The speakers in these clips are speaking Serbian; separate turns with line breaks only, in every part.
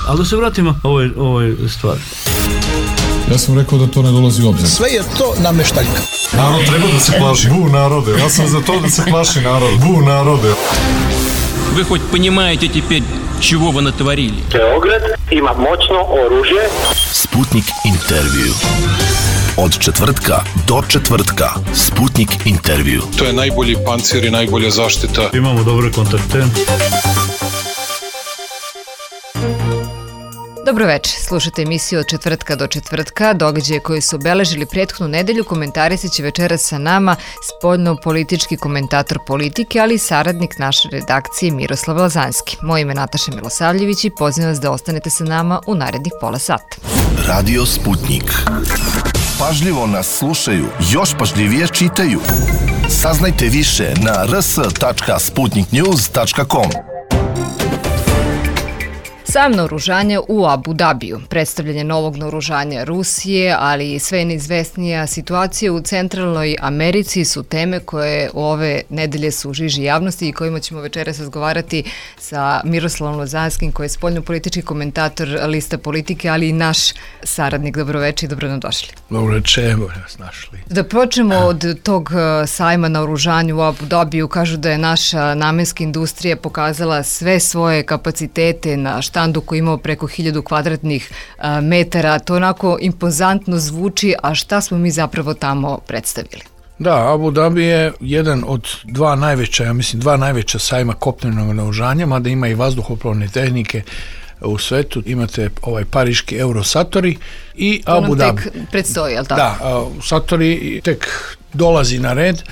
Ali da se vratimo ovoj stvari.
Ja sam rekao da to ne dolazi u obzir.
Sve je to nameštaljka.
Narod treba da se plaši. Bu narode. Ja sam za to da se plaši narod. Bu narode.
Вы хоть понимаете теперь, чего вы натворили?
Beograd ima moćno oružje.
Sputnik intervju. Od četvrtka do četvrtka. Sputnik intervju.
To je najbolji pancir i najbolja zaštita.
Imamo dobre kontakte.
Dobro večer, slušate emisiju Od četvrtka do četvrtka. Događaje koji su obeležili prethodnu nedelju komentarisat će večeras sa nama spoljno-politički komentator politike, ali i saradnik naše redakcije Miroslav Lazanski. Moje ime je Nataša Milosavljević i pozivam vas da ostanete sa nama u narednih pola sata.
Radio Sputnik. Pažljivo nas slušaju, još pažljivije čitaju. Saznajte više na rs.sputniknews.com.
Sam naoružanje u Abu Dabiju, predstavljanje novog naoružanja Rusije, ali i sve neizvesnija situacija u Centralnoj Americi su teme koje ove nedelje su u žiži javnosti i kojima ćemo večeras razgovarati sa Miroslavom Lazanskim, koji je spoljno-politički komentator Lista politike, ali i naš saradnik. Dobroveče i dobro nam došli.
Dobroveče, evo nas našli.
Da počnemo od tog sajma naoružanja u Abu Dabiju. Kažu da je naša namenska industrija pokazala sve svoje kapacitete na štandu koji imao preko 1000 kvadratnih metara. To onako impozantno zvuči, a šta smo mi zapravo tamo predstavili?
Da, Abu Dhabi je jedan od dva najveća sajma kopnenog naoružanja, mada ima i vazduhoplovne tehnike u svetu. Imate ovaj pariški Eurosatori i
to
Abu Dhabi.
To nam tek predstoji, je li tako?
Da, Satori tek dolazi na red.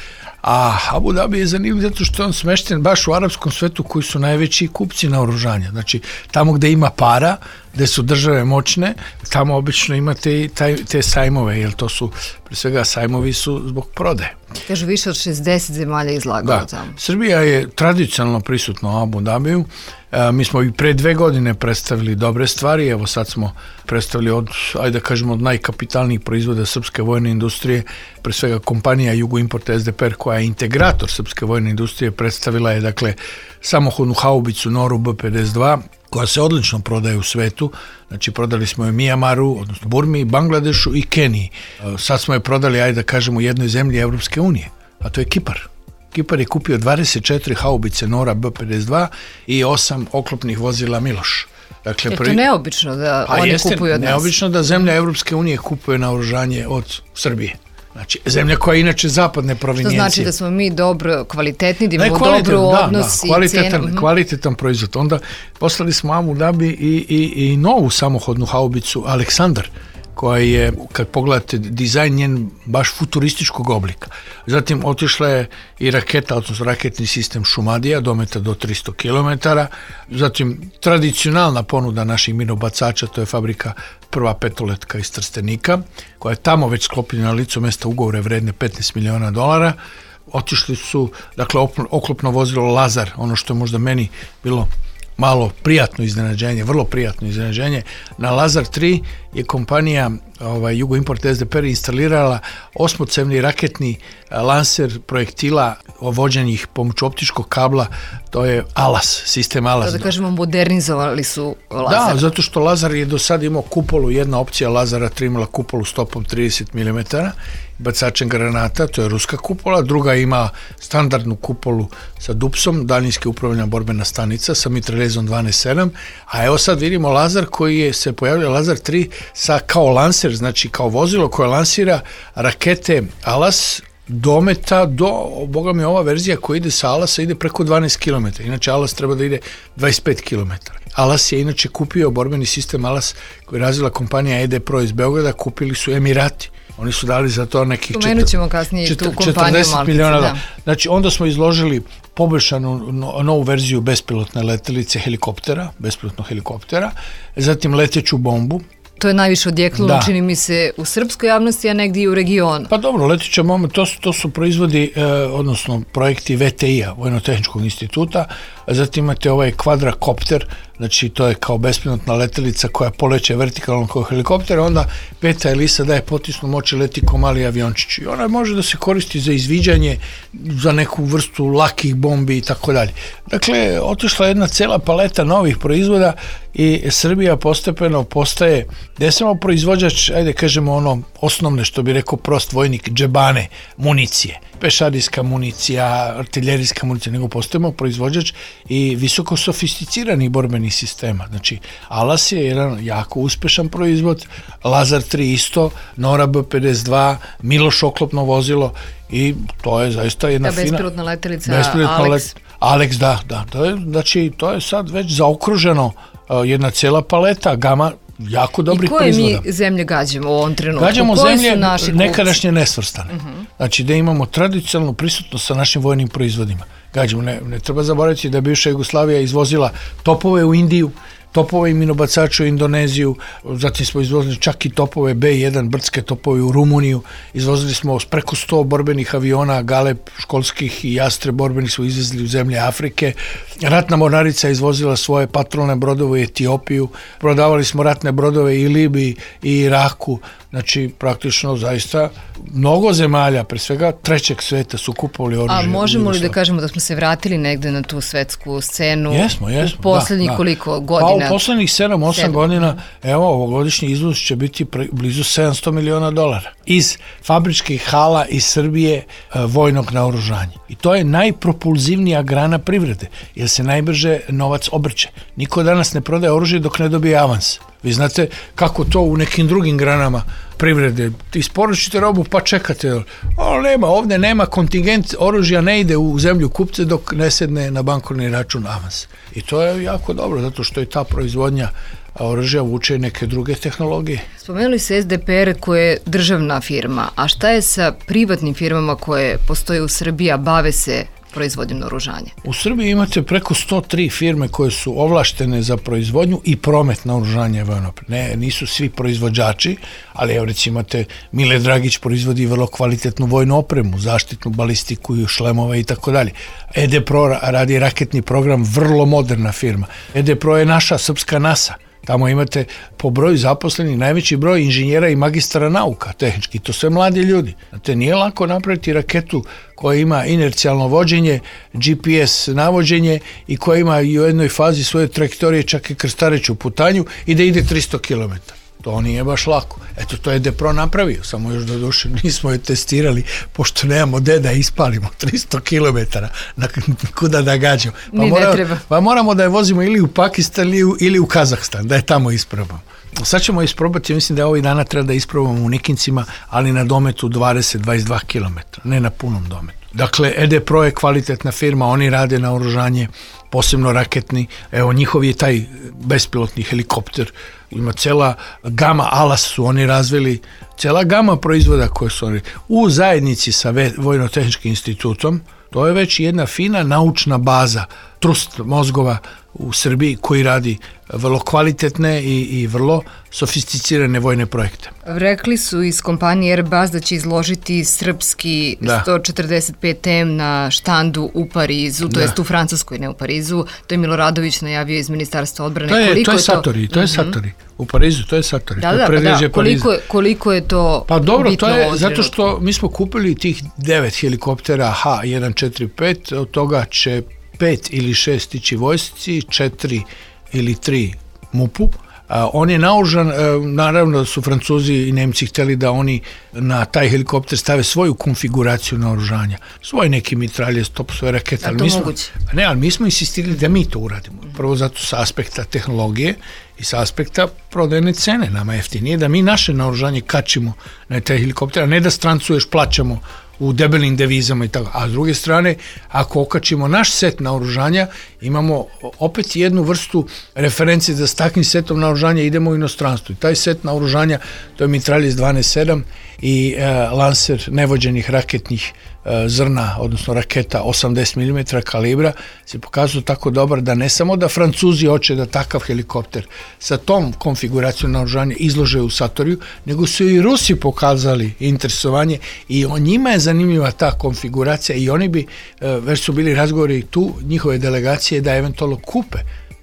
A Abu Dhabi je zanimljiv zato što je on smešten baš u arapskom svetu koji su najveći kupci naoružanja. Znači, tamo gde ima para, gde su države moćne, tamo obično imate te sajmove, jer to su, pre svega, sajmovi su zbog prodaje.
Kažu, više od 60 zemalja izlagalo tamo.
Srbija je tradicionalno prisutna u Abu Dhabiju. Mi smo i pre 2 godine predstavili dobre stvari, evo sad smo predstavili od najkapitalnijih proizvoda srpske vojne industrije, pre svega kompanija Jugoimport SDPR, koja je integrator srpske vojne industrije, predstavila je dakle samohodnu haubicu Noru B-52, koja se odlično prodaje u svetu. Znači, prodali smo je Mijamaru, odnosno Burmi, Bangladešu i Keniji. Sad smo je prodali, u jednoj zemlji Evropske unije, a to je Kipar. Kipar je kupio 24 haubice Nora B-52 i 8 oklopnih vozila Miloš. Dakle,
je to neobično da oni kupuju od nas?
Neobično da zemlja Evropske unije kupuje naoružanje od Srbije. Znači, zemlja koja je inače zapadne provenijencije.
To znači da smo mi dobro kvalitetni, da imamo dobro odnos i cenu.
Kvalitetan proizvod. Onda poslali smo Abu Dhabi i novu samohodnu haubicu Aleksandar, koja je, kad pogledate dizajn njen, baš futurističkog oblika. Zatim otišla je i raketa, odnosno raketni sistem Šumadija, dometa do 300 km. Zatim tradicionalna ponuda naših minobacača, to je fabrika Prva petoletka iz Trstenika, koja je tamo već sklopljena na licu mesta ugovore vredne $15 miliona. Otišli su, dakle, oklopno vozilo Lazar, ono što je možda meni bilo malo prijatno iznenađenje, vrlo prijatno iznenađenje. Na Lazar 3 je kompanija Jugoimport SDPR instalirala 8-cevni raketni lanser projektila vođenih pomoću optičkog kabla, to je ALAS, sistem ALAS.
Da kažemo, modernizovali su Lazar.
Da, zato što Lazar je do sada imao kupolu, jedna opcija Lazara 3 imala kupolu stopom 30 mm, bacačem granata, to je ruska kupola, druga ima standardnu kupolu sa dupsom, daljinski upravljena borbena stanica sa mitraljezom 12.7, a evo sad vidimo Lazar koji se pojavlja, Lazar 3 sa kao lanser, znači kao vozilo koje lansira rakete ALAS dometa do, boga mi, ova verzija koja ide sa ALAS-a ide preko 12 km, inače ALAS treba da ide 25 km. ALAS je inače kupio borbeni sistem ALAS koji je razvila kompanija ED Pro iz Beograda, kupili su Emirati. Oni su dali za to nekih 40 miliona. Da. Znači, onda smo izložili poboljšanu novu verziju bespilotne letelice bespilotnog helikoptera, zatim leteću bombu.
To je najviše odjeknulo, čini mi se, u srpskoj javnosti, a negdje i u regionu.
Pa dobro, leteća bomba, to su proizvodi, odnosno projekti VTI-a, Vojno-tehničkog instituta, a zatim imate ovaj kvadrakopter, znači to je kao bespilotna letelica koja poleće vertikalno kao helikopter, onda peta elisa daje potisnu moć i leti kao mali aviončić. I ona može da se koristi za izviđanje, za neku vrstu lakih bombi i tako dalje. Dakle, otišla jedna cela paleta novih proizvoda i Srbija postepeno postaje, ne samo proizvođač, ajde kažemo ono osnovne, što bi rekao prost vojnik, džebane, municije, pešadijska municija, artiljerijska municija, nego postajemo proizvođač i visoko sofisticiranih borbenih sistema. Znači, Alas je jedan jako uspešan proizvod, Lazar 3 isto, Nora B-52, Miloš oklopno vozilo i to je zaista jedna fina...
Bespilotna letelica Alex.
Alex, da. To je sad već zaokruženo jedna cijela paleta, gama jako dobrih proizvoda.
I koje mi zemlje gađamo u ovom trenutku?
Gađamo zemlje nekadašnje nesvrstane. Znači da imamo tradicionalnu prisutnost sa našim vojnim proizvodima. Gađamo, ne treba zaboraviti da je bivša Jugoslavija izvozila topove u Indiju, topove i minobacače u Indoneziju, zatim smo izvozili čak i topove B1, brdske topove u Rumuniju, izvozili smo preko 100 borbenih aviona, Galeb školskih i Jastre borbenih smo izvezli u zemlje Afrike. Ratna mornarica izvozila svoje patrolne brodove u Etiopiju, prodavali smo ratne brodove i Libiji i Iraku, znači praktično zaista mnogo zemalja, pre svega trećeg sveta su kupovali oružje.
A možemo li da kažemo da smo se vratili negde na tu svetsku scenu?
Jesmo,
u poslednjih koliko godina?
Pa u poslednjih 7-8 godina, evo, ovogodišnji izvoz će biti blizu $700 miliona iz fabričkih hala iz Srbije vojnog naoružanja. I to je najpropulzivnija grana privrede, jer se najbrže novac obrće. Niko danas ne prodaje oružje dok ne dobije avans. Vi znate kako to u nekim drugim granama privrede. Isporučite robu pa čekate. Ovdje nema kontingent, oružja ne ide u zemlju kupce dok ne sedne na bankovni račun avans. I to je jako dobro, zato što je ta proizvodnja oružja vuče neke druge tehnologije.
Spomenuli se SDPR koja je državna firma, a šta je sa privatnim firmama koje postoje u Srbiji, a bave se proizvodnjom naoružanja? U
Srbiji imate preko 103 firme koje su ovlaštene za proizvodnju i promet naoružanja. Nisu svi proizvođači, ali evo recimo imate Mile Dragić proizvodi vrlo kvalitetnu vojnu opremu, zaštitnu balistiku i šlemove i tako dalje. EDPRO radi raketni program, vrlo moderna firma. EDPRO je naša srpska NASA. Tamo imate po broju zaposlenih najveći broj inženjera i magistara nauka tehnički, to sve mladi ljudi. Znate, nije lako napraviti raketu koja ima inercijalno vođenje, GPS navođenje i koja ima i u jednoj fazi svoje trajektorije čak i krstareću putanju i da ide 300 km. To nije baš lako. Eto, to je DEPRO napravio, samo još do duše nismo je testirali, pošto nemamo gde da ispalimo 300 km, kuda da gađamo. Pa moramo da je vozimo ili u Pakistan ili u Kazahstan, da je tamo isprobamo. Sad ćemo isprobati, mislim da ovih dana treba da isprobamo u Nikincima, ali na dometu 20-22 km, ne na punom dometu. Dakle, EDPRO je kvalitetna firma, oni rade naoružanje, posebno raketni, evo njihov je taj bespilotni helikopter, ima cela gama, Alas su oni razvili, cela gama proizvoda koje su oni u zajednici sa Vojno-tehničkim institutom. To je već jedna fina naučna baza, trust mozgova u Srbiji koji radi vrlo kvalitetne i vrlo sofisticirane vojne projekte.
Rekli su iz kompanije Airbus da će izložiti srpski 145M na štandu u Parizu, to jest u Francuskoj, ne u Parizu. To je Miloradović najavio iz Ministarstva odbrane.
To je Satori. U Parizu to je Satori.
Koliko je to
pa dobro, to je zato što mi smo kupili tih 9 helikoptera H145, od toga će 5 ili 6 ići vojsci, 4 ili 3 MUP-u. On je naoružan, naravno da su Francuzi i Nemci hteli da oni na taj helikopter stave svoju konfiguraciju naoružanja, svoje neki mitralje, svoje rakete.
A to moguće?
Ali mi smo insistirali da mi to uradimo. Prvo zato sa aspekta tehnologije i sa aspekta prodajne cene. Nama jeftinije da mi naše naoružanje kačimo na taj helikopter, a ne da strancu još plaćamo u debelim devizama i tako. A s druge strane, ako okačimo naš set naoružanja, imamo opet jednu vrstu referencije da s takvim setom naoružanja idemo u inostranstvo. I taj set naoružanja, to je mitraljez 12-7 i lanser nevođenih raketnih zrna, odnosno raketa 80 mm kalibra, se pokazuje tako dobar da ne samo da Francuzi hoće da takav helikopter sa tom konfiguracijom naoružanja izlože u Satoriju, nego su i Rusi pokazali interesovanje i njima je zanimljiva ta konfiguracija i oni bi, već su bili razgovori tu, njihove delegacije da eventualno kupe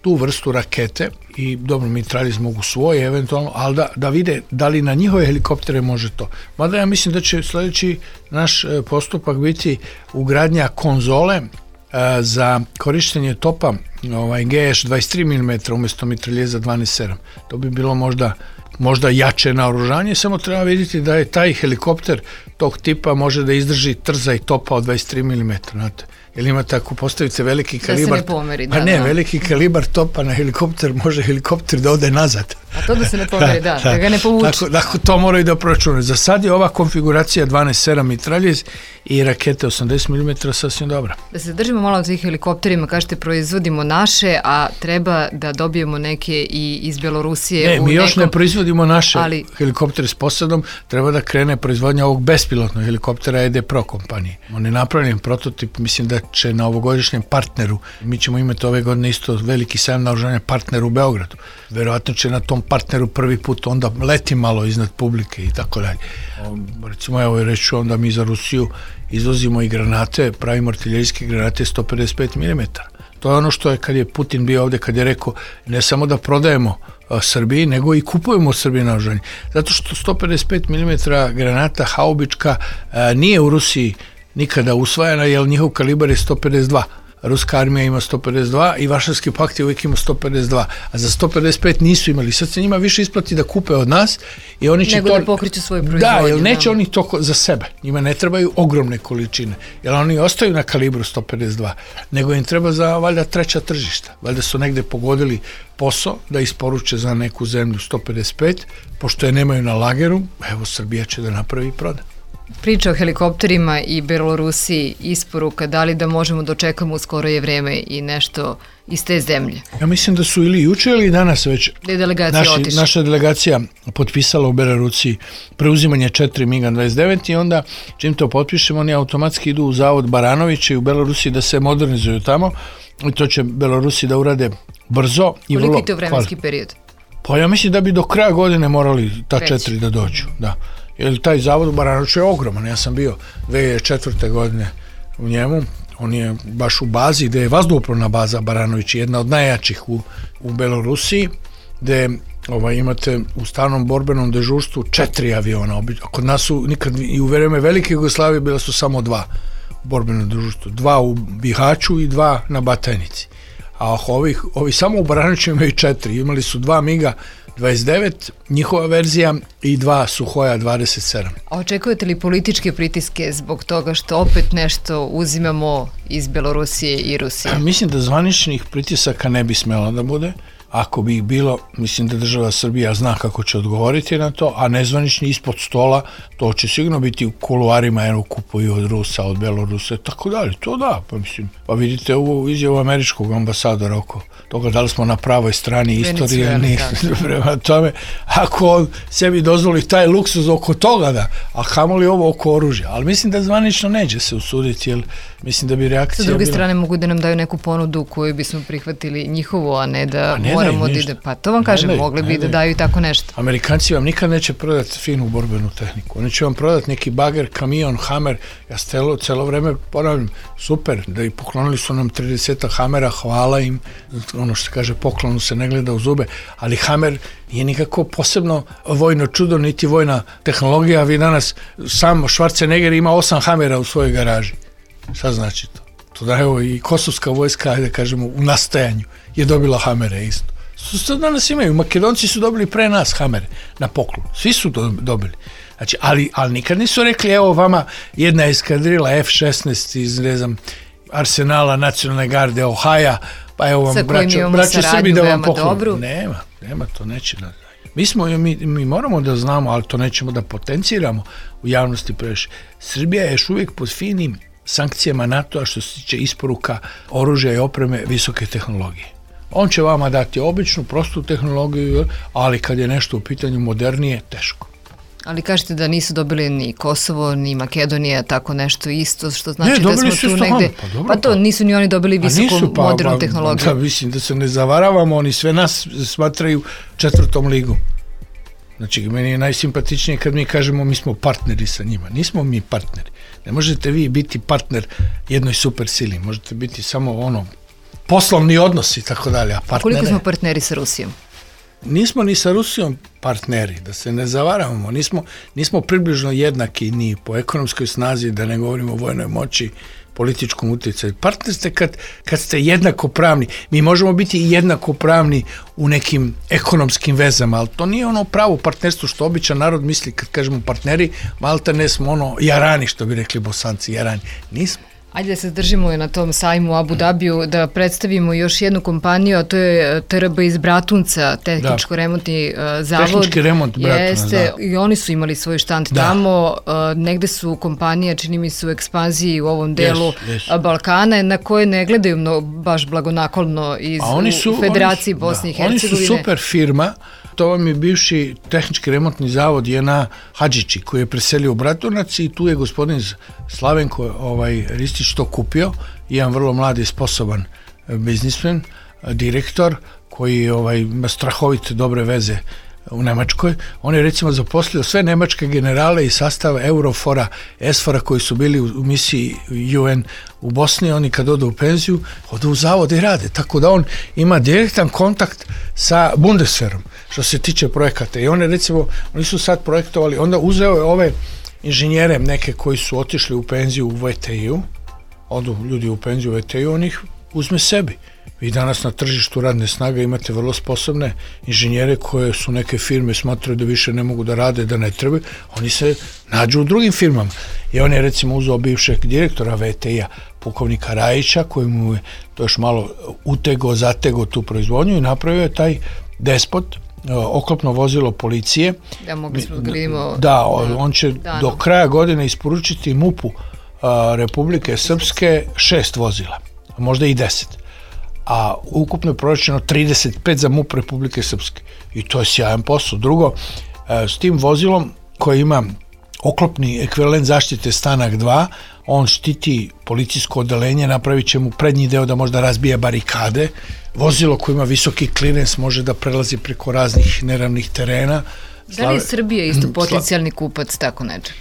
tu vrstu rakete i dobro, mitraljez mogu svoje eventualno, ali da vide da li na njihove helikoptere može to. Mada ja mislim da će sljedeći naš postupak biti ugradnja konzole za korištenje topa GS 23 mm umjesto mitraljeza 12.7. To bi bilo možda jače naoružanje, samo treba vidjeti da je taj helikopter tog tipa može da izdrži trzaj topa od 23 mm, znate. Jer imate, ako postavite veliki kalibar,
da se ne pomeri,
veliki kalibar topa na helikopter, može helikopter da ode nazad.
A to da se ne pomeri, da ga ne povuče.
Dakle, to moraju da proračunaju. Za sad je ova konfiguracija 12.7 mitraljez i rakete 80 mm sasvim dobra.
Da se držimo malo od tih helikopterima, kažete proizvodimo naše, a treba da dobijemo neke i iz Belorusije.
Mi još ne proizvodimo naše helikoptere s posadom, treba da krene proizvodnja ovog bespilotnog helikoptera ED Pro kompanije. On je napravljen prototip, mislim da će na ovogodišnjem partneru, mi ćemo imati ove godine isto veliki sajam naoružanja partner u Beogradu. Verovatno će na tom partneru prvi put onda leti malo iznad publike i tako dalje. Recimo, evo reću onda mi za Rusiju izvozimo i granate, pravimo artiljerijske granate 155 mm. To je ono što je kad je Putin bio ovde, kad je rekao ne samo da prodajemo Srbiji, nego i kupujemo od Srbije naoružanje. Zato što 155 mm granata haubička nije u Rusiji nikada usvajana, jer njihov kalibar je 152. Ruska armija ima 152 i Varšavski pakt je uvijek ima 152, a za 155 nisu imali. Sad se njima više isplati da kupe od nas i oni će
nego da pokriču svoju proizvodnju.
Da, jer neće oni to za sebe. Njima ne trebaju ogromne količine, jer oni ostaju na kalibru 152, nego im treba za valjda treća tržišta. Valjda su negde pogodili posao da isporuče za neku zemlju 155, pošto je nemaju na lageru, evo Srbija će da napravi i proda.
Priča o helikopterima i Belorusiji, isporuka, da li da možemo dočekamo u skoro je vreme i nešto iz te zemlje?
Ja mislim da su ili juče ili danas već naša delegacija potpisala u Belorusiji preuzimanje 4 MiG-29 i onda čim to potpišemo oni automatski idu u zavod Baranovića i u Belorusiji da se modernizuju tamo i to će Belorusi da urade brzo i vrlo...
Koliko je to vremenski period?
Pa ja mislim da bi do kraja godine morali ta 4 da dođu, da. Jer taj zavod u Baranoviću je ogroman, ja sam bio 2004. godine u njemu, on je baš u bazi gde je vazduhoplovna baza Baranović, jedna od najjačih u Belorusiji, gde imate u stalnom borbenom dežurstvu 4 aviona, kod nas su nikad i u vreme Velike Jugoslavije bila su samo 2 u borbenom dežurstvu, 2 u Bihaću i 2 na Batajnici, a ovi samo u Baranoviću imaju 4, imali su 2 MiG-a 29, njihova verzija i 2 Suhoja 27.
A očekujete li političke pritiske zbog toga što opet nešto uzimamo iz Belorusije i Rusije?
Mislim da zvaničnih pritisaka ne bi smelo da bude. Ako bi ih bilo, mislim da država Srbija zna kako će odgovoriti na to, a nezvanični ispod stola, to će sigurno biti u kuluarima, jer kupuju od Rusa, od Belorusa, tako dalje. To da, pa vidite ovu izjavu američkog ambasadora oko toga da li smo na pravoj strani istorije ili nije. Prema tome, ako on sebi dozvoli taj luksuz oko toga, da, a kamoli ovo oko oružja. Ali mislim da zvanično neće se usuditi, jer mislim da bi reakcija bila...
Sa druge strane mogu da nam daju neku ponudu koju bismo prihvatili njihovu, a ne da moramo da ide. Pa to vam kažem, mogli bi da daju i tako nešto.
Amerikanci vam nikad neće prodati finu borbenu tehniku. Oni će vam prodati neki bager, kamion, Hammer. Ja celo vreme ponavljam, super, da i poklonili su nam 30 Hammera, hvala im. Ono što se kaže, poklonu se ne gleda u zube, ali Hammer nije nikako posebno vojno čudo, niti vojna tehnologija. Vi danas, sam Schwarzenegger ima 8 Hammera u svojoj garaži. Šta znači to? To da evo i kosovska vojska, ajde kažemo, u nastajanju je dobila Hammere isto. Što danas imaju? Makedonci su dobili pre nas Hammere na poklon. Svi su dobili. Znači, ali nikad nisu rekli, evo vama jedna eskadrila F-16 iz, ne znam, Arsenala nacionalne garde Ohaja, pa evo vam, braćo Srbi, da vam poklon. Nema, to neće da. Mi moramo da znamo, ali to nećemo da potenciramo u javnosti previše. Srbija je još uvijek pod finim sankcijama NATO-a što se tiče isporuka oružja i opreme visoke tehnologije. On će vama dati običnu, prostu tehnologiju, ali kad je nešto u pitanju modernije, teško.
Ali kažete da nisu dobili ni Kosovo, ni Makedonija, tako nešto isto, što znači da smo tu negde... Pa to, nisu ni oni dobili visoku modernu tehnologiju.
Da, mislim da se ne zavaravamo, oni sve nas smatraju 4. ligom. Znači, meni je najsimpatičnije kad mi kažemo mi smo partneri sa njima. Nismo mi partneri. Ne možete vi biti partner jednoj super sili. Možete biti samo poslovni odnosi i tako dalje. A
koliko smo partneri sa Rusijom?
Nismo ni sa Rusijom partneri, da se ne zavaravamo. Nismo približno jednaki ni po ekonomskoj snazi, da ne govorimo o vojnoj moći, političkom utjecaju. Partner ste kad ste jednakopravni. Mi možemo biti jednakopravni u nekim ekonomskim vezama, ali to nije ono pravo partnerstvo što običan narod misli kad kažemo partneri, malta ne smo ono jarani, što bi rekli Bosanci, jarani. Nismo.
Ajde da se držimo na tom sajmu u Abu Dabiju, da predstavimo još jednu kompaniju, a to je TRB iz Bratunca, tehničko-remontni zavod.
Tehnički remont Bratunac, da.
I oni su imali svoj štand tamo. Negde su kompanija, čini mi se, u ekspanziji u ovom delu Balkana, na koje ne gledaju baš blagonaklonno iz Federaciji Bosne i Hercegovine.
Oni su super firma. To vam je bivši tehnički remontni zavod Jena Hadžići, koji je preselio u Bratunac i tu je gospodin Slavenko Ristić to kupio, jedan vrlo mladi i sposoban biznismen, direktor, koji ima strahovite dobre veze u Nemačkoj. On je recimo zaposlio sve nemačke generale iz sastava Eurofora, Esfora koji su bili u misiji UN u Bosni. Oni kad odu u penziju, odu u zavod i rade. Tako da on ima direktan kontakt sa Bundeswehrom što se tiče projekata. I oni su sad projektovali, onda uzeo je ove inženjere neke koji su otišli u penziju u VTI-u, odu ljudi u penziju u VTI-u, on ih uzme sebi. Vi danas na tržištu radne snage imate vrlo sposobne inženjere koje su neke firme smatraju da više ne mogu da rade, da ne trebaju, oni se nađu u drugim firmama. I on je recimo uzeo bivšeg direktora VTI-a, pukovnika Rajića, koji mu je to još malo zatego tu proizvodnju i napravio je taj Despot, oklopno vozilo policije.
Da, mogli smo da vidimo.
Da, on će do kraja godine isporučiti MUP-u Republike Srpske 6 vozila, a možda i 10. A ukupno je proračeno 35 za MUP Republike Srpske. I to je sjajan posao. Drugo, s tim vozilom koji ima oklopni ekvivalent zaštite Stanak 2, on štiti policijsko odeljenje, napravit će mu prednji deo da možda razbija barikade. Vozilo koje ima visoki klinens može da prelazi preko raznih neravnih terena.
Da li je Srbija isto potencijalni kupac tako nečeg?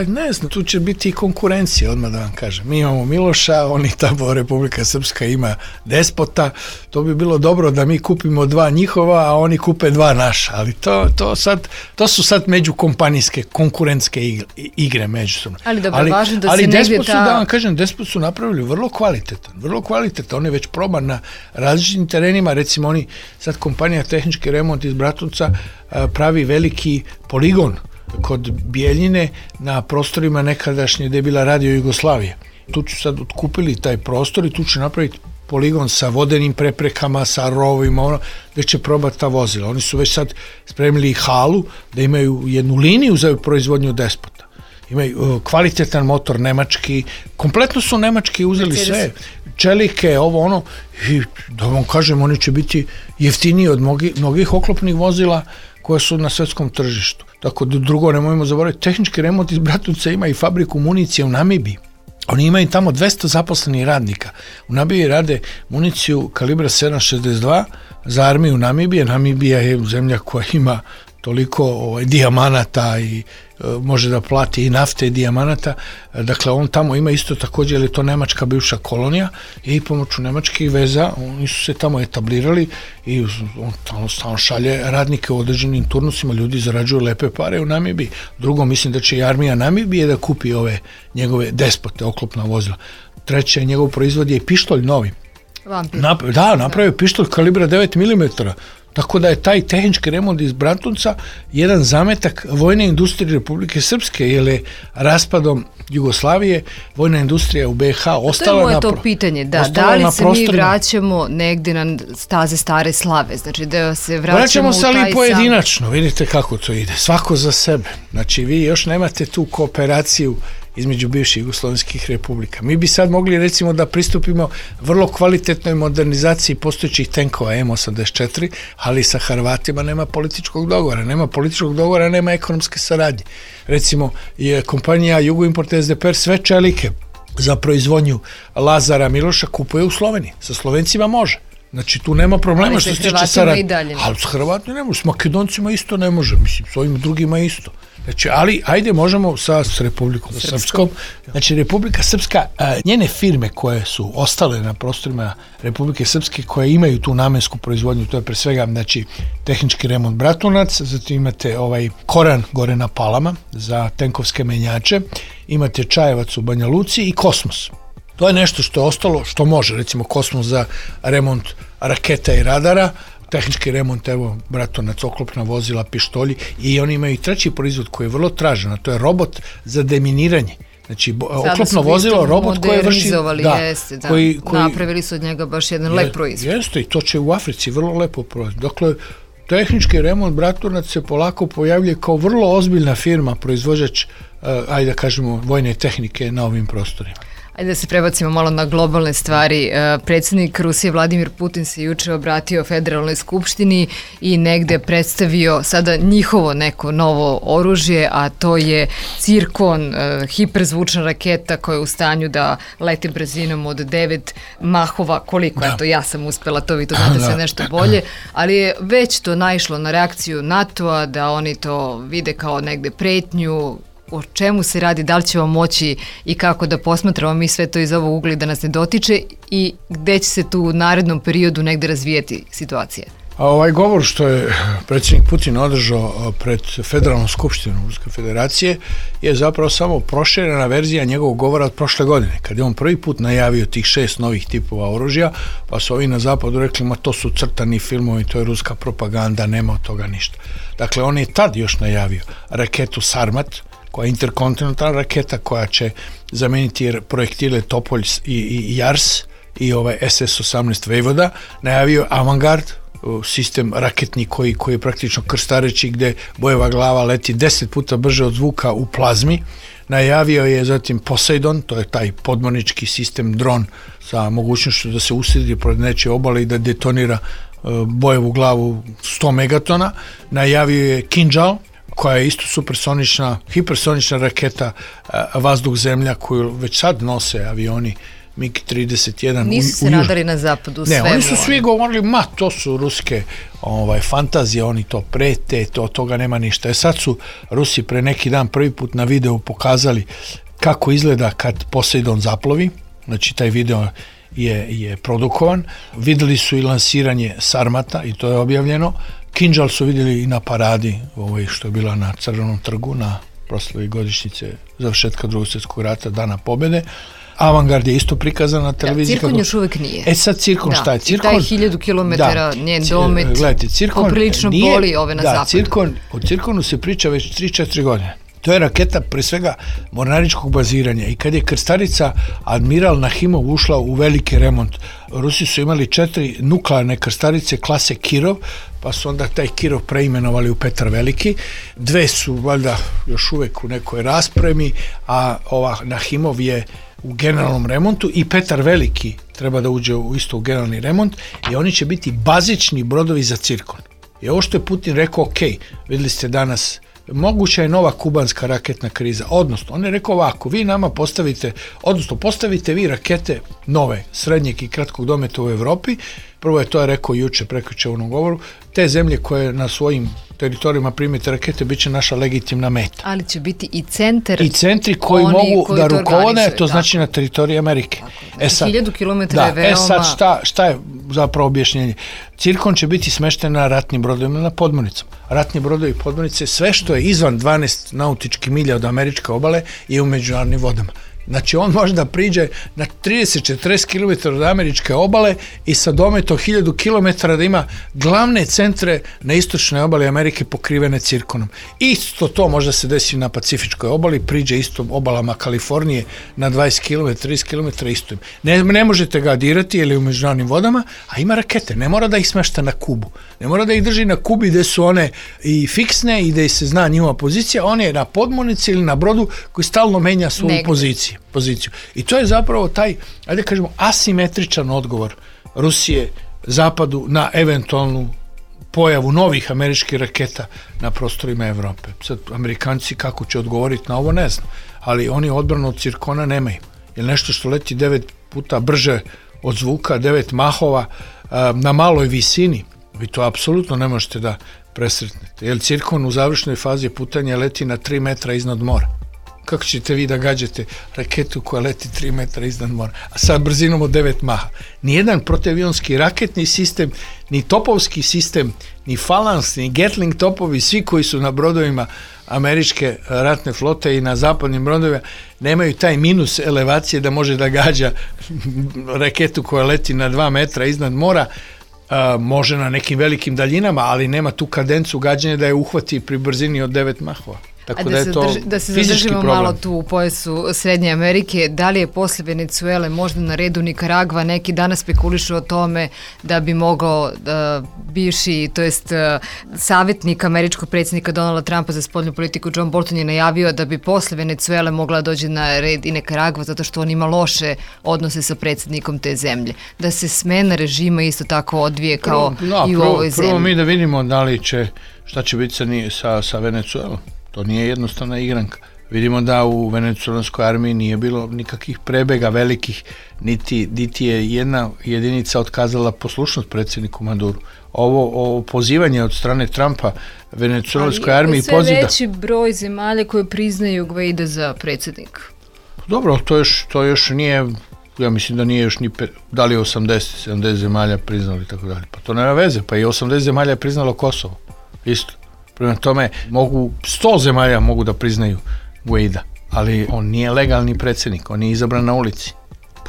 Ne znam, tu će biti i konkurencija, odmah da vam kažem. Mi imamo Miloša, oni tamo Republika Srpska ima Despota, to bi bilo dobro da mi kupimo 2 njihova, a oni kupe 2 naša, ali to su sad međukompanijske, konkurentske igre međusobno.
Ali dobro, važno da se negdje
da vam kažem, Despot su napravili vrlo kvalitetan, on je već proban na različitim terenima, recimo oni, sad kompanija Tehnički remont iz Bratunca pravi veliki poligon kod Bijeljine na prostorima nekadašnje gde je bila Radio Jugoslavija. Tu će sad otkupili taj prostor i tu će napraviti poligon sa vodenim preprekama, sa rovima, gde će probati ta vozila. Oni su već sad spremili halu da imaju jednu liniju za proizvodnju Despota. Imaju kvalitetan motor nemački, kompletno su nemački uzeli sve, čelike, i da vam kažem, oni će biti jeftiniji od mnogih oklopnih vozila koja su na svetskom tržištu. Tako da drugo nemojmo zaboraviti, Tehnički remont iz Bratunca ima i fabriku municije u Namibiji. Oni imaju tamo 200 zaposlenih radnika. U Namibiji rade municiju kalibra 7.62 za armiju Namibije. Namibija je zemlja koja ima toliko dijamanata i može da plati i nafte i dijamanata. Dakle, on tamo ima isto također, jer je to nemačka bivša kolonija i pomoću nemačkih veza oni su se tamo etablirali i on stalno šalje radnike u određenim turnusima, ljudi zarađuju lepe pare u Namibiji. Drugo, mislim da će i armija Namibije da kupi ove njegove Despote, oklopna vozila. Treće, njegov proizvod je pištolj novi. Napravio pištolj kalibra 9 mm. Tako da je taj tehnički remont iz Bratunca jedan zametak vojne industrije Republike Srpske, jer je raspadom Jugoslavije vojna industrija u BiH ostala
to je to pitanje, da li se mi vraćamo negdje na staze stare slave, znači da se vraćamo
se ali pojedinačno, vidite kako to ide, svako za sebe, znači vi još nemate tu kooperaciju između bivših jugoslovenskih republika. Mi bi sad mogli recimo da pristupimo vrlo kvalitetnoj modernizaciji postojećih tenkova M84, ali sa Hrvatima nema političkog dogovora, nema ekonomske saradnje. Recimo je kompanija Jugoimport SDPR sve čelike za proizvodnju Lazara Miloša kupuje u Sloveniji. Sa Slovencima može. Znači, tu nema problema
ali
što se tiče
Hrvatima
saradnje.
i dalje.
Ali s Hrvatima ne može, s Makedoncima isto ne može, mislim, s ovim drugima isto. Znači, ali ajde možemo s Republikom Srpskom. Znači, Republika Srpska, njene firme koje su ostale na prostorima Republike Srpske, koje imaju tu namensku proizvodnju, to je pre svega, znači, tehnički remont Bratunac, zatim imate Koran gore na Palama za tenkovske menjače, imate Čajevac u Banja Luci i Kosmos. To je nešto što je ostalo, što može, recimo Kosmos za remont raketa i radara, tehnički remont, evo, Bratunac, oklopna vozila, pištolji, i oni imaju i treći proizvod koji je vrlo tražen, a to je robot za deminiranje. Znači, oklopno vozilo, robot koji vrši...
Napravili su od njega baš jedan lep proizvod.
Jeste, i to će u Africi vrlo lepo proizvod. Dakle, tehnički remont Bratunac se polako pojavljuje kao vrlo ozbiljna firma, proizvođač, ajde da kažemo, vojne tehnike na ovim prostorima.
Ajde da se prebacimo malo na globalne stvari. Predsjednik Rusije Vladimir Putin se juče obratio Federalnoj skupštini i negde predstavio sada njihovo neko novo oružje, a to je Cirkon, hiperzvučna raketa koja je u stanju da leti brzinom od 9 mahova. Koliko? Eto, ja sam uspela to, vi to znate sve nešto bolje, ali je već to naišlo na reakciju NATO-a, da oni to vide kao negde pretnju. O čemu se radi, da li ćemo moći i kako da posmatramo mi sve to iz ovog ugla da nas ne dotiče i gde će se tu u narednom periodu negde razvijeti situacija?
A ovaj govor što je predsjednik Putin održao pred Federalnom skupštinom Ruske federacije je zapravo samo proširena verzija njegovog govora od prošle godine, kad je on prvi put najavio tih 6 novih tipova oružja, pa su ovi na zapadu rekli, ma to su crtani filmovi, to je ruska propaganda, nema od toga ništa. Dakle, on je tad još najavio raketu Sarmat, koja je interkontinentalna raketa koja će zameniti projektile Topolj i Jars i SS-18 Vojvoda, najavio Avangard, sistem raketni koji je praktično krstareći, gde bojeva glava leti 10 puta brže od zvuka u plazmi. Najavio je zatim Poseidon, to je taj podmornički sistem dron sa mogućnošću da se usredi pored nečije obale i da detonira bojevu glavu 100 megatona. Najavio je Kinjal, koja je isto supersonična, hipersonična raketa vazduh-zemlja koju već sad nose avioni MiG-31.
Nisu se radali na zapadu
svemu. Ne, oni su svi govorili, ma to su ruske fantazije, oni to prete, toga nema ništa. Sad su Rusi pre neki dan prvi put na videu pokazali kako izgleda kad Poseidon zaplovi, znači taj video je produkovan. Videli su i lansiranje Sarmata i to je objavljeno. Kinjal su vidjeli i na paradi, što je bila na Crvenom trgu, na proslavi godišnjice završetka Drugog svjetskog rata, Dana pobjede. Avangard je isto prikazan na televiziji.
Cirkon još uvijek nije.
Sad Cirkon šta je?
Cirkon, i taj 1000 km njen domet poprilično boli ove na zapadu.
O Cirkonu se priča već 3-4 godine. To je raketa pre svega mornaričkog baziranja i kad je krstarica Admiral Nahimov ušla u veliki remont, Rusi su imali 4 nuklearne krstarice klase Kirov, pa su onda taj Kirov preimenovali u Petar Veliki. 2 su valjda još uvek u nekoj raspremi, a ova Nahimov je u generalnom remontu i Petar Veliki treba da uđe isto u generalni remont i oni će biti bazični brodovi za Cirkon. I ovo što je Putin rekao, ok, vidjeli ste danas, moguća je nova kubanska raketna kriza, odnosno, on je rekao ovako, vi nama postavite vi rakete nove, srednjeg i kratkog dometa u Evropi, prvo je to rekao juče, prekjuče u onom govoru, te zemlje koje na svojim teritorijima primite rakete, bit će naša legitimna meta.
Ali će biti i centar.
I centri koji mogu da rukovode, to znači na teritoriji Amerike.
Sad, 1000 km je veoma...
sad šta je zapravo objašnjenje? Cirkon će biti smešten na ratnim brodovima, na podmornicama. Ratni brodovi i podmornice, sve što je izvan 12 nautičkih milja od američke obale je u međunarodnim vodama. Znači on može da priđe na 30-40 km od američke obale i sa dometom 1000 km da ima glavne centre na istočnoj obali Amerike pokrivene Cirkonom. Isto to možda se desi na Pacifičkoj obali, priđe isto obalama Kalifornije na 20 km, 30 km isto im. Ne možete ga dirati jer je u međunarodnim vodama, a ima rakete, ne mora da ih smešta na Kubu. Ne mora da ih drži na Kubi gde su one i fiksne i gde se zna njihova pozicija, on je na podmornici ili na brodu koji stalno menja svoju poziciju. I to je zapravo taj, ajde kažemo, asimetričan odgovor Rusije Zapadu na eventualnu pojavu novih američkih raketa na prostorima Evrope. Sad, Amerikanci kako će odgovoriti na ovo, ne znam, ali oni odbranu od Cirkona nemaju. Jer nešto što leti 9 puta brže od zvuka, 9 mahova, na maloj visini, vi to apsolutno ne možete da presretnete. Jer Cirkon u završnoj fazi putanja leti na 3 metra iznad mora. Kako ćete vi da gađate raketu koja leti 3 metra iznad mora, a sa brzinom od 9 maha? Nijedan protivionski raketni sistem, ni topovski sistem, ni Phalanx, ni Gatling topovi, svi koji su na brodovima američke ratne flote i na zapadnim brodovima, nemaju taj minus elevacije da može da gađa raketu koja leti na 2 metra iznad mora. Može na nekim velikim daljinama, ali nema tu kadencu gađanja da je uhvati pri brzini od 9 mahova. Tako
da se zadržimo malo tu u pojasu Srednje Amerike, da li je posle Venecuele možda na redu Nikaragva? Neki danas spekulišu o tome da bi mogao bivši, to jest savjetnik američkog predsjednika Donalda Trumpa za spoljnu politiku John Bolton je najavio da bi posle Venecuele mogla dođi na red i Nikaragva zato što on ima loše odnose sa predsjednikom te zemlje. Da se smena režima isto tako odvije kao i u ovoj zemlji.
Prvo mi da vidimo da li će, šta će biti sa Venecuelom. To nije jednostavna igranka. Vidimo da u venecuelanskoj armiji nije bilo nikakvih prebega velikih, niti je jedna jedinica otkazala poslušnost predsjedniku Maduru. Ovo pozivanje od strane Trumpa venecuelanskoj armiji
poziva... Ali je sve veći broj zemalja koje priznaju Guaida za predsjednika.
Dobro, to još nije, ja mislim da nije još ni, da li je 80-70 zemalja priznali i tako dalje. Pa to nema veze, pa i 80 zemalja je priznalo Kosovo. Isto. Prema tome, 100 zemalja mogu da priznaju Guaida, ali on nije legalni predsjednik, on nije izabran na ulici.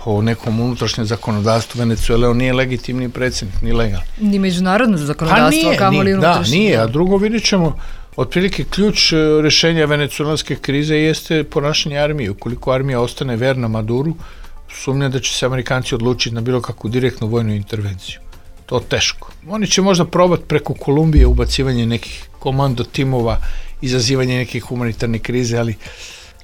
Po nekom unutrašnjem zakonodavstvu Venecuele on nije legitimni predsjednik, ni legalni.
Ni međunarodno zakonodavstvo, kamoli unutrašnje.
Da, nije, a drugo vidjet ćemo, otprilike ključ rješenja venecuelanske krize jeste ponašanje armije. Ukoliko armija ostane verna Maduru, sumnjam da će se Amerikanci odlučiti na bilo kakvu direktnu vojnu intervenciju. To teško. Oni će možda probati preko Kolumbije ubacivanje nekih komando timova, izazivanje nekih humanitarnih krize, ali...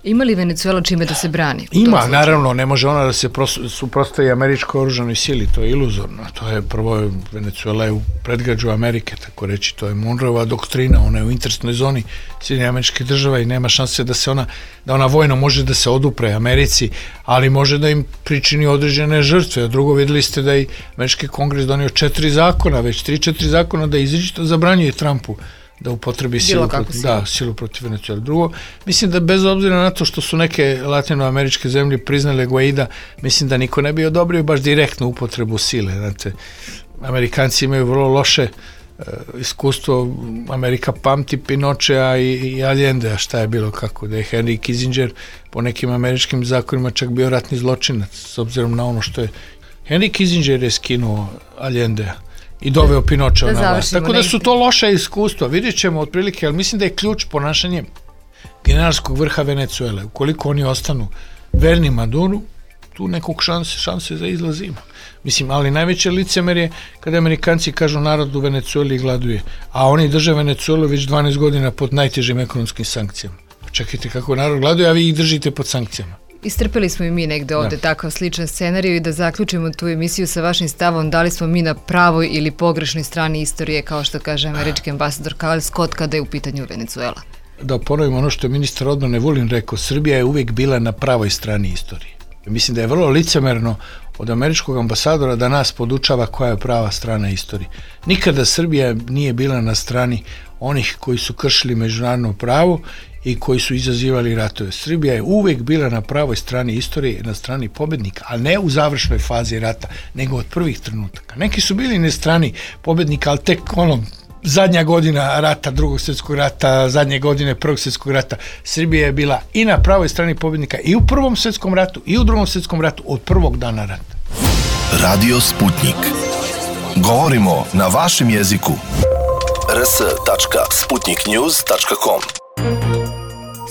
Ima li Venecuela čime da se brani?
Ima, naravno, ne može ona da se suprotstavi američkoj oružanoj sili, to je iluzorno. To je prvo, Venecuela je u predgrađu Amerike, tako reći, to je Monroeva doktrina, ona je u interesnoj zoni Sjedinjenih Američkih Država i nema šanse da ona vojno može da se odupre Americi, ali može da im pričini određene žrtve. A drugo, vidjeli ste da i Američki kongres donio 4 zakona, već 3-4 zakona da izričito zabranjuje Trumpu da upotrebi silu protiv Venecuele. Drugo, mislim da bez obzira na to što su neke latinoameričke zemlje priznale Guaida, mislim da niko ne bi odobrio baš direktnu upotrebu sile. Znate, Amerikanci imaju vrlo loše iskustvo, Amerika pamti Pinochea i Allendea, šta je bilo kako, da je Henry Kissinger po nekim američkim zakonima čak bio ratni zločinac, s obzirom na ono što je Henry Kissinger je skinuo Allendea i doveo Pinochea na vlast. Tako da su to loša iskustva. Vidjet ćemo otprilike, ali mislim da je ključ ponašanje generalskog vrha Venecuele. Ukoliko oni ostanu verni Maduru, tu nekog šanse za izlaz ima. Mislim, ali najveće licemerje kada Amerikanci kažu narod u Venecueli gladuje, a oni drže Venecuelu već 12 godina pod najtežim ekonomskim sankcijama. Čekajte kako narod gladuje, a vi ih držite pod sankcijama.
Istrpeli smo i mi negde ovde takav sličan scenarij i da zaključimo tu emisiju sa vašim stavom da li smo mi na pravoj ili pogrešnoj strani istorije, kao što kaže američki ambasador Kyle Scott kada je u pitanju Venecuela.
Da ponovim ono što je ministar odbrane Vulin rekao, Srbija je uvijek bila na pravoj strani istorije. Mislim da je vrlo licemerno od američkog ambasadora da nas podučava koja je prava strana istorije. Nikada Srbija nije bila na strani onih koji su kršili međunarodno pravo i koji su izazivali ratove. Srbija je uvijek bila na pravoj strani istorije, na strani pobednika, a ne u završnoj fazi rata, nego od prvih trenutaka. Neki su bili na strani pobednika, ali tek zadnja godina rata, Drugog svjetskog rata, zadnje godine Prvog svjetskog rata. Srbija je bila i na pravoj strani pobednika i u Prvom svjetskom ratu i u Drugom svjetskom ratu od prvog dana rata.
Radio Sputnik. Govorimo na vašem jeziku. rs.sputniknews.com.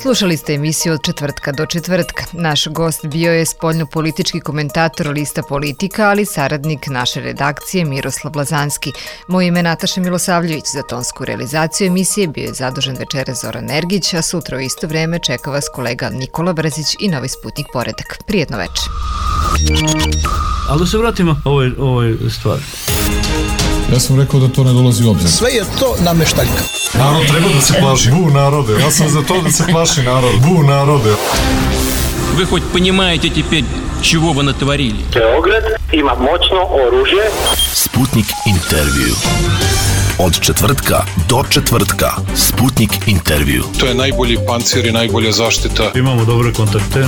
Slušali ste emisiju od četvrtka do četvrtka. Naš gost bio je spoljnopolitički komentator lista Politika, ali saradnik naše redakcije Miroslav Lazanski. Moje ime je Nataša Milosavljević. Za tonsku realizaciju emisije bio je zadužen večeras Zoran Ergić, a sutra u isto vreme čeka vas kolega Nikola Brzić i Novi Sputnik Poredak. Prijetno večer.
Ali da se vratimo ovoj stvari.
Ja sam rekao da to ne dolazi u obzir.
Sve je to nameštaljka.
Narod treba da se plaši. Bu narode. Ja sam za to da se plaši narod. Bu narode.
Вы хоть понимаете теперь, чего вы натворили?
Beograd ima moćno oružje.
Sputnik intervju. Od četvrtka do četvrtka. Sputnik intervju.
To je najbolji pancir i najbolja zaštita.
Imamo dobre kontakte.